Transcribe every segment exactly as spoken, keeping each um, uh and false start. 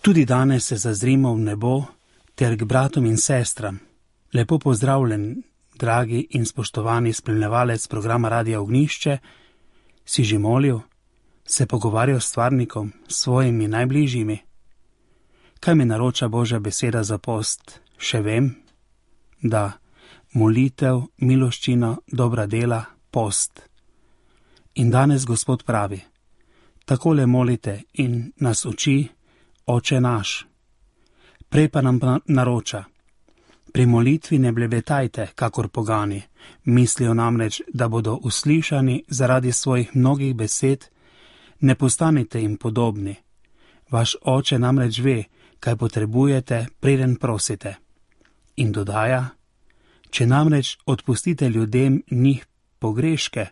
Tudi danes se zazrimo v nebo ter k bratom in sestram. Lepo pozdravljen, dragi in spoštovani spremljevalec programa Radia Ognjišče. Si že molil, se pogovarjal s stvarnikom, s svojimi najbližjimi? Kaj mi naroča Božja beseda za post? Še vem, da molitev, miloščina, dobra dela, post. In danes Gospod pravi, takole molite in nas uči, Oče naš. Prej pa nam naroča, pri molitvi ne blebetajte, kakor pogani, mislijo namreč, da bodo uslišani zaradi svojih mnogih besed, ne postanite jim podobni. Vaš Oče namreč ve, kaj potrebujete, preden prosite. In dodaja, če namreč odpustite ljudem njih pogreške,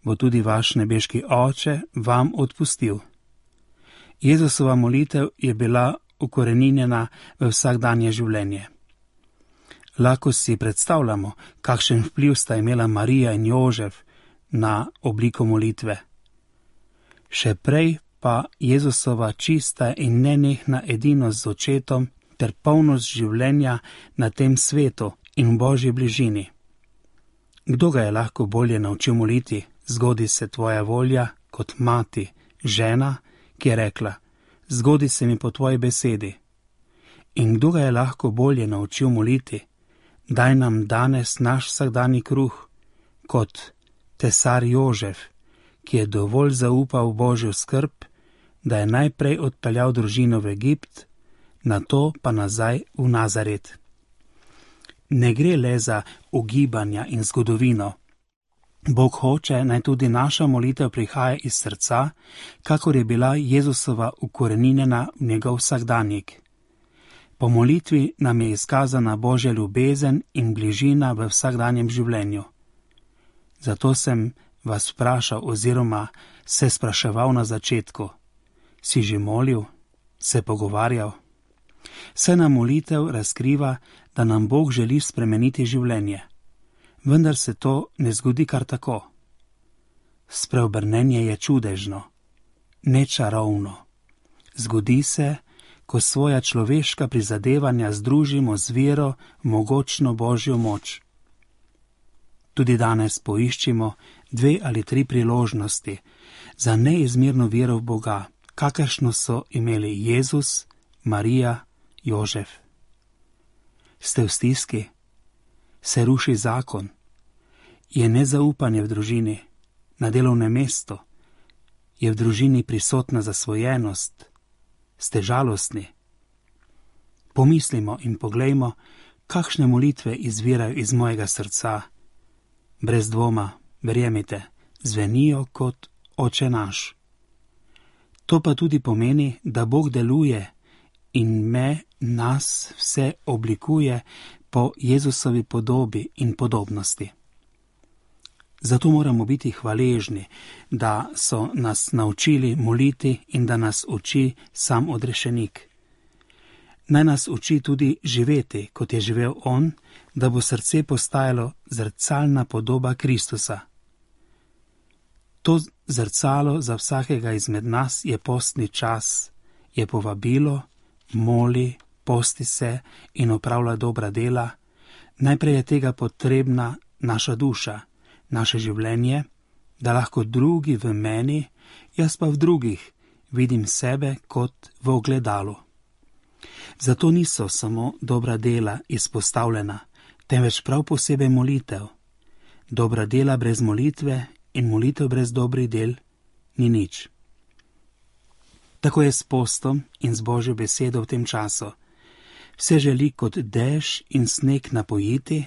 bo tudi vaš nebeški Oče vam odpustil. Jezusova molitev je bila ukoreninjena v vsakdanje življenje. Lahko si predstavljamo, kakšen vpliv sta imela Marija in Jožef na obliko molitve. Še prej pa Jezusova čista in nenehna edinost z očetom ter polnost življenja na tem svetu in v Božji bližini. Kdo ga je lahko bolje naučil moliti, zgodi se tvoja volja, kot mati, žena, ki je rekla, zgodi se mi po tvoji besedi. In kdo ga je lahko bolje naučil moliti, daj nam danes naš vsakdanji kruh, kot tesar Jožef, ki je dovolj zaupal v Božjo skrb, da je najprej odpeljal družino v Egipt, nato pa nazaj v Nazaret. Ne gre le za ugibanja in zgodovino. Bog hoče, naj tudi naša molitev prihaja iz srca, kakor je bila Jezusova ukoreninjena v njegov vsakdanjik. Po molitvi nam je izkazana Božja ljubezen in bližina v vsakdanjem življenju. Zato sem vas vprašal oziroma se spraševal na začetku. Si že molil, se pogovarjal? Saj nam molitev razkriva, da nam Bog želi spremeniti življenje. Vendar se to ne zgodi kar tako. Spreobrnenje je čudežno, nečarovno. Zgodi se, ko svoja človeška prizadevanja združimo z vero v mogočno Božjo moč. Tudi danes poiščimo dve ali tri priložnosti za neizmerno vero v Boga, kakršno so imeli Jezus, Marija, Jožef. Ste v stiski? Se ruši zakon? Je nezaupanje v družini, na delovnem mestu? Je v družini prisotna zasvojenost? Ste žalostni? Pomislimo in poglejmo, kakšne molitve izvirajo iz mojega srca. Brez dvoma, verjemite, zvenijo kot Oče naš. To pa tudi pomeni, da Bog deluje in me, nas vse oblikuje po Jezusovi podobi in podobnosti. Zato moramo biti hvaležni, da so nas naučili moliti in da nas uči sam odrešenik. Naj nas uči tudi živeti, kot je živel on, da bo srce postajalo zrcalna podoba Kristusa. To zrcalo za vsakega izmed nas je postni čas, je povabilo, moli, posti se in opravlja dobra dela. Najprej je tega potrebna naša duša, naše življenje, da lahko drugi v meni, jaz pa v drugih, vidim sebe kot v ogledalu. Zato niso samo dobra dela izpostavljena, temveč prav posebej molitev. Dobra dela brez molitve in molitev brez dobrih del ni nič. Tako je s postom in z Božjo besedo v tem času. Vse želi kot dež in sneg napojiti,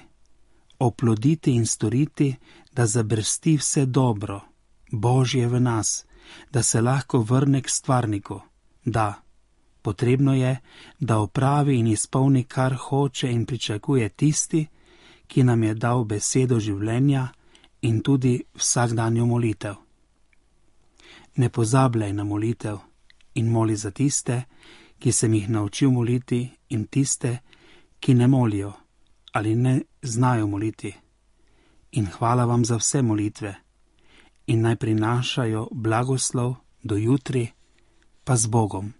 oploditi in storiti, da zabrsti vse dobro, Božje v nas, da se lahko vrne k stvarniku. Da, potrebno je, da opravi in izpolni, kar hoče in pričakuje tisti, ki nam je dal besedo življenja in tudi vsakdanjo molitev. Ne pozabljaj na molitev in moli za tiste, ki sem jih naučil moliti, in tiste, ki ne molijo ali ne znajo moliti. In hvala vam za vse molitve in naj prinašajo blagoslov do jutri, pa z Bogom.